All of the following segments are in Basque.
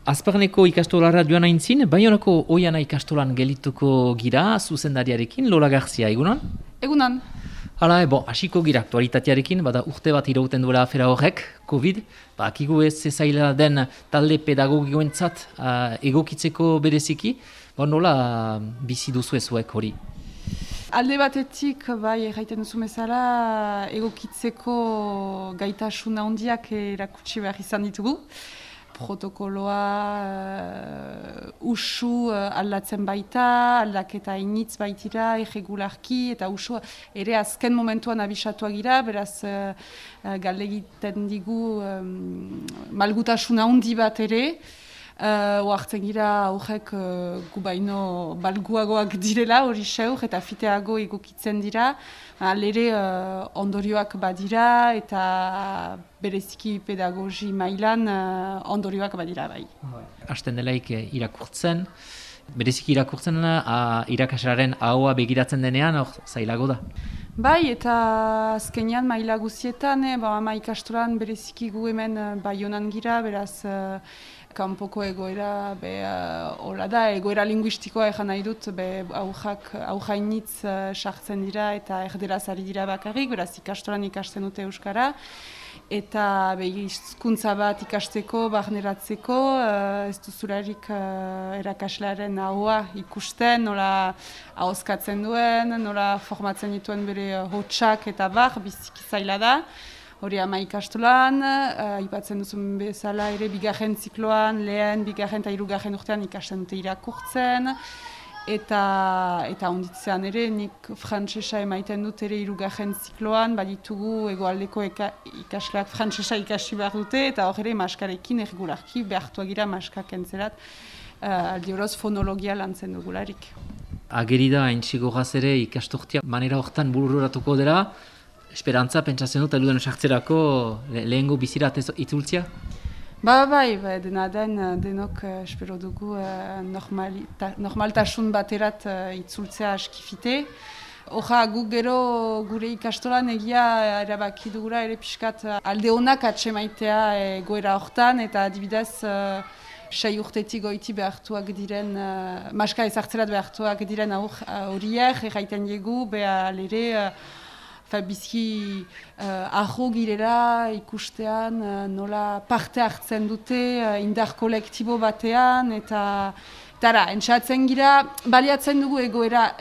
Azparneko ikastolara joan aintzin, Baionako Oiana ikastolan gelituko gira, zuzendariarekin, Lola Garzia, egunon? Egunon. Hala, hasiko gira aktualitatearekin, bada urte bat irauten duela afera horrek, COVID, akigu ez zaila den talde pedagogikoentzat egokitzeko bereziki, nola bizi duzu ezuek hori? Alde batetik, bai, erraiten duzu bezala, egokitzeko gaitasuna handiak erakutsi behar izan ditugu. Protokoloa usu aldatzen baita, aldaketa initz baitira, irregularki, eta usu ere azken momentuan abisatuak gira, beraz galdegiten digu malgutasuna handi bat ere, oartzen gira horrek gu baino balguagoak direla hori seur eta fiteago egokitzen dira, alere ondorioak badira eta bereziki pedagogi mailan ondorioak badira bai. Hasten delaik irakurtzen, bereziki irakurtzen irakaslaren ahoa begiratzen denean, zailago da? Bai, eta azkenean maila guzietan, ama ikastolan bereziki gu hemen Baionan gira, beraz kanpoko egoera, hola da, egoera linguistikoa egan nahi dut, aujainitz sartzen dira eta erderaz ari dira bakarrik, beraz ikastolan ikasten dute euskara, eta hizkuntza bat ikasteko, barneratzeko, ez duzularik erakaslearen ahoa ikusten, nola ahozkatzen duen, nola formatzen dituen bere hotsak eta biziki zaila da. Hori ama ikastolan, aipatzen duzun bezala ere bigarren zikloan, lehen, bigarren eta hirugarren urtean ikasten dute irakurtzen, eta onditzean ere nik frantsesa emaiten dut ere hirugarren zikloan, baditugu hegoaldeko ikasleak frantsesa ikasi behar dute, eta hor ere maskarekin erregularki behartuak gira maskak entzerat, aldi horoz fonologia lantzen dugularik. Ageri da, entxigogaz ere ikastortia manera horretan bururatuko dela, esperantza, pentsatzen dut, eluden sartzerako lehengo bizirat itzultzia? Bai, dena den denok espero dugu normaltasun baterat itzultzea askifite. Horra, guk gero gure ikastolan egia erabaki dugura ere pixkat alde honak atsemaitea egoera hortan, eta adibidez 6 urtetik goiti behartuak diren, maska ezartzerat behartuak diren horiek, erraiten diegu, behar ere, bizki aho girela ikustean nola parte hartzen dute indar kolektibo batean eta entzatzen gira, baliatzen dugu egoera,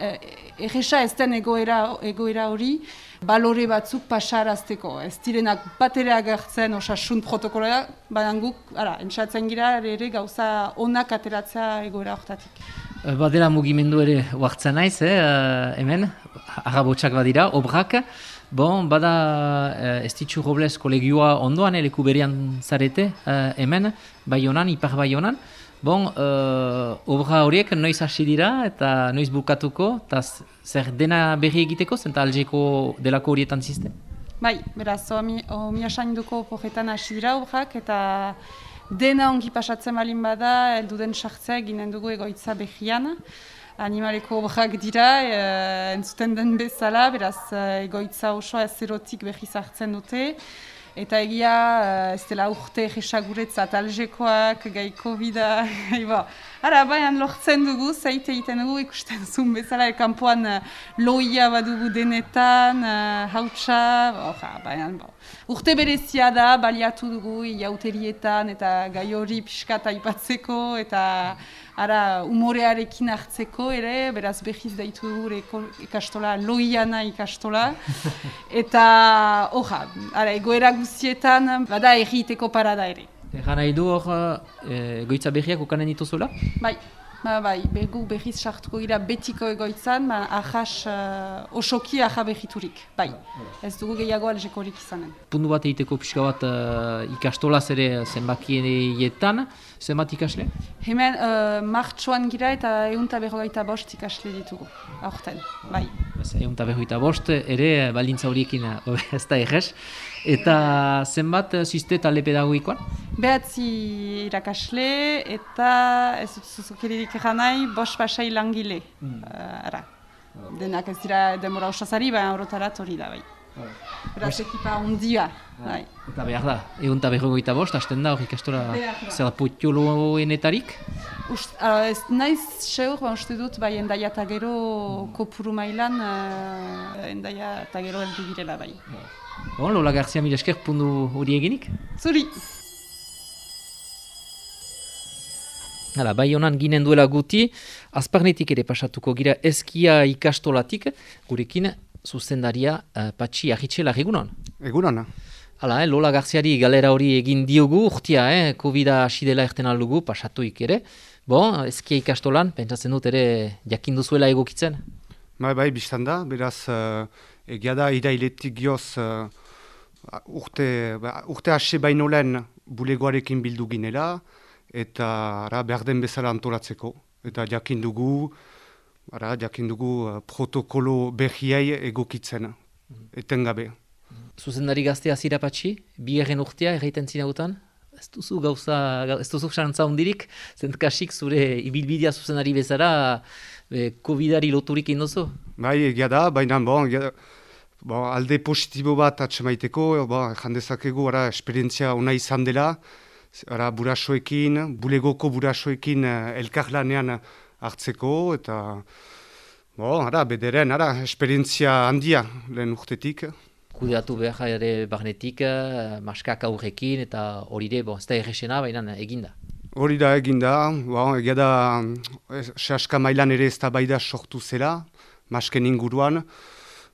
erresa ez den egoera hori, balore batzuk pasarazteko. Ez direnak bat ere agertzen osasun protokoloa, baina guk, entzatzen gira ere gauza onak ateratzea egoera hortatik. Badela mugimendu ere huartzen naiz, hemen, arrabotsak badira, obrak. Bada Estitxu Robles kolegioa ondoan, leku berian zarete, hemen, Baionan, Ipar Baionan. Obra horiek noiz hasi dira eta noiz bukatuko, eta zer dena berri egiteko, zenta algeko delako horietan ziste? Bai, beraz, omiasainduko porretan hasi dira obrak, eta dena ongi pasatzen balin bada, elduden sartzea ginen dugu egoitza behian. Animaleko obrak dira, entzuten den bezala, beraz egoitza osoa ezerotik behiz hartzen dute. Eta egia, ez dela urte egesaguretzat algekoak, gai COVID-a, baina lortzen dugu, zaite egiten dugu, ikusten zuen bezala, kanpoan loia badugu denetan, hautsa, urte berezia da, baliatu dugu, iauterietan, eta gai hori pixkat aipatzeko, eta umorearekin hartzeko ere, beraz behiz daitu dugu ikastola, loiana ikastola, eta egoera guztietan, bada erriteko parada ere. Egan nahi du egoitza behiak ukanen dituzuela? Bai, guk behiz sartuko gira betiko egoitzan, osoki aja behiturik, bai. Ez dugu gehiago algekorik izanen. Puntu bat egiteko pixka bat ikastolaz ere zenbakietan, zenbat ikasle? Hemen martxoan gira eta 155 ikasle ditugu, aurten, bai. 155 ere baldintza horiekin ez da errez. Eta zenbat ziste talde pedagogikoan? 9 irakasle eta ez dut zuzukeririk egan nahi, 5 pasai langile. Denak ez dira demora osazari, baina orotarat hori da bai. Beraz ekipa ondia. Bai. Eta behar da, egun eta 45, hasten da hor ikastola zer da potioloenetarik? Ez naiz seur, uste dut, bai, endaia eta gero kopuru mailan, endaia eta gero heldu girela, bai. Bon, Lola Garcia mila esker pundu hori eginik? Zuri! Hala, bai honan ginen duela guti, azparnetik ere pasatuko gira eskia ikastolatik, gurekin zuzendaria Patxi Arritxela, egunon? Egunon. Hala, Lola Garziari galera hori egin diogu, urtia, COVID-a hasi dela erten aldugu, pasatuik ere. Bon, eskia ikastolan, pentsatzen dut ere jakin duzuela egokitzen? Bai, biztan da, beraz, egia da irailetik gioz urte hasi baino lehen bulegoarekin bildu ginela, eta behar den bezala antolatzeko. Eta jakin dugu protokolo berriai egokitzen, etengabe. Zuzendari gaztea zira Patxi, bigarren urtea erraiten zinautan? Ez duzu xantza hundirik, zentkasik zure ibilbidea zuzendari bezala COVID-ari loturik indozu? Bai, egia da, baina alde positibo bat atxemaiteko, jandezakegu esperientzia ona izan dela, bulegoko burasoekin elkarlanean hartzeko, eta bederen, esperientzia handia lehen urtetik. Kudeatu behar ere barnetik, maskak aurrekin, eta hori ere, ez da errexena, baina eginda. Hori da eginda, egia da, sehaska mailan ere ez da baida sortu zela, masken inguruan,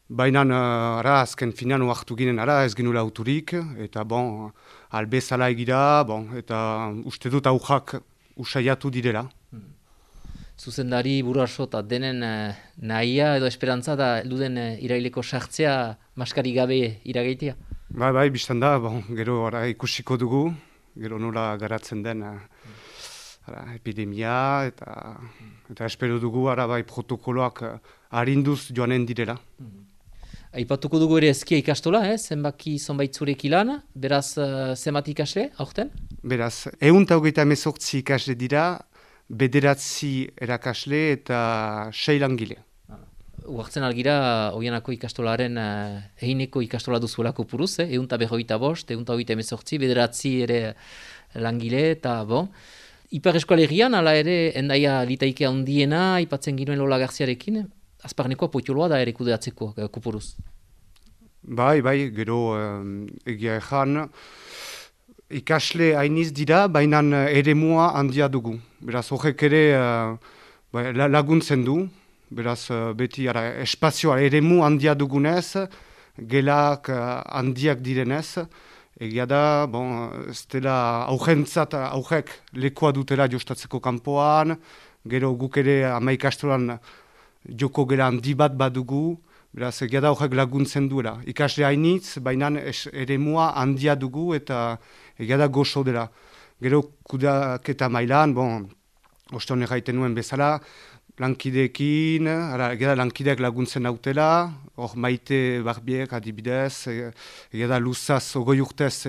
baina azken finean oartu ginen ez genula auturik, eta albezala egira, eta uste dut aujak usaiatu direla. Zuzendari buraso eta denen nahia edo esperantza da duden iraileko sartzea maskari gabe iragaitea? Bai, biztan da, gero ikusiko dugu, gero nola garatzen den epidemia, eta espero dugu protokoloak arinduz joanen direla. Aipatuko dugu ere eskia ikastola, zenbaki zonbait zurek ilan, beraz zenbat ikasle, aurten? Beraz, 128 ikasle dira, 9 erakasle eta 6 langile. Uartzen algira, Oianako ikastolaren eineko ikastola duzuelako puruz, 145, 128, 9 ere langile, eta Ipar Eskualerian, ala ere, endaia litaike handiena, aipatzen ginoen Lola Garziarekin, azparnekoa potioloa da ere kudeatzeko kupuruz. Bai, gero egia ezan, ikasle hainiz dira, baina eremua handia dugu. Beraz, horrek ere laguntzen du, beraz, beti espazioa eremu handia dugunez, gelak handiak direnez, egia da, ez dela aurrek lekoa dutela jostatzeko kanpoan, gero guk ere 10 ikastolan joko gela handi bat badugu, beraz, egia da horrek laguntzen duela. Ikasle hainitz, baina eremua handia dugu eta egia da gozo dela. Gero kudaketa mailan, oston erraiten nuen bezala, lankideekin, egia da lankideak laguntzen nautela, hor Maite Barbiek adibidez, egia da luzaz 20 urtez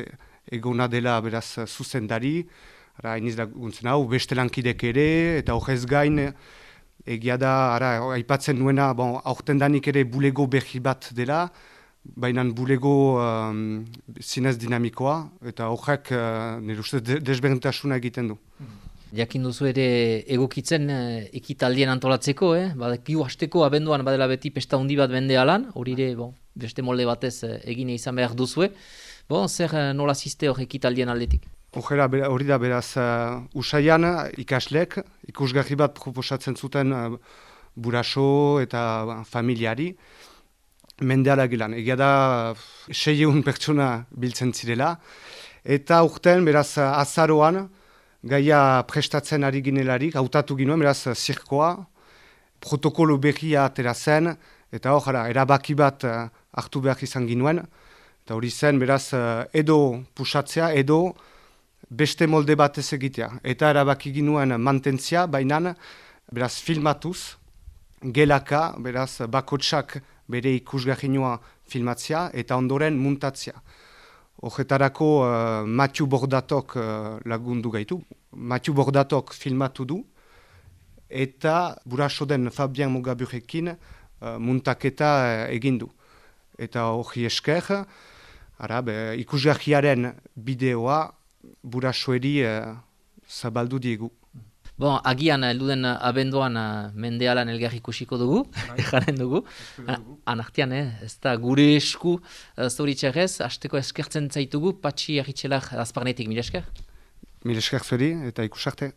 egona dela beraz zuzendari, hainiz laguntzen hau, beste lankidek ere, eta horrez gain, egia da, aipatzen nuena, aurten danik ere bulego berri bat dela, baina bulego zinez dinamikoa, eta horrek nire uste desberdintasuna egiten du. Jakin duzu ere egokitzen ekitaldien antolatzeko, badakigu hasteko abenduan badela beti pesta handi bat bende alan, hori ere beste molde batez egine izan behar duzue. Zer nola ziste hor ekitaldien aldetik? Hori da beraz, usaian ikaslek, ikusgarri bat proposatzen zuten buraso eta familiari, mendeala gilan. Egia da 600 pertsona biltzen zirela, eta urten beraz azaroan, gaia prestatzen ari ginelarik, hautatu ginuen, beraz, zirkoa, protokolo berria atera zen, eta erabaki bat hartu behar izan ginuen, eta hori zen, beraz, edo pusatzea, edo beste molde bat ez egitea. Eta erabaki ginuen mantentzia, baina, beraz, filmatuz, gelaka, beraz, bakotsak bere ikusgarrinua filmatzea, eta ondoren muntatzea. Horretarako Mathieu Bordatok lagundu gaitu. Mathieu Bordatok filmatu du, eta buraso den Fabien Mogaburekin muntaketa egin du. eta hori esker, ikusgarriaren bideoa Burasueri zabaldu diegu. Bon, agian, elduden abenduan mendealan elgar ikusiko dugu, jaren dugu. Anartian, ez da gure esku zoritxarrez, hasteko eskertzen zaitugu, Patxi Arritxelak azparnetik, mila esker? Mila esker zuri eta ikusarte.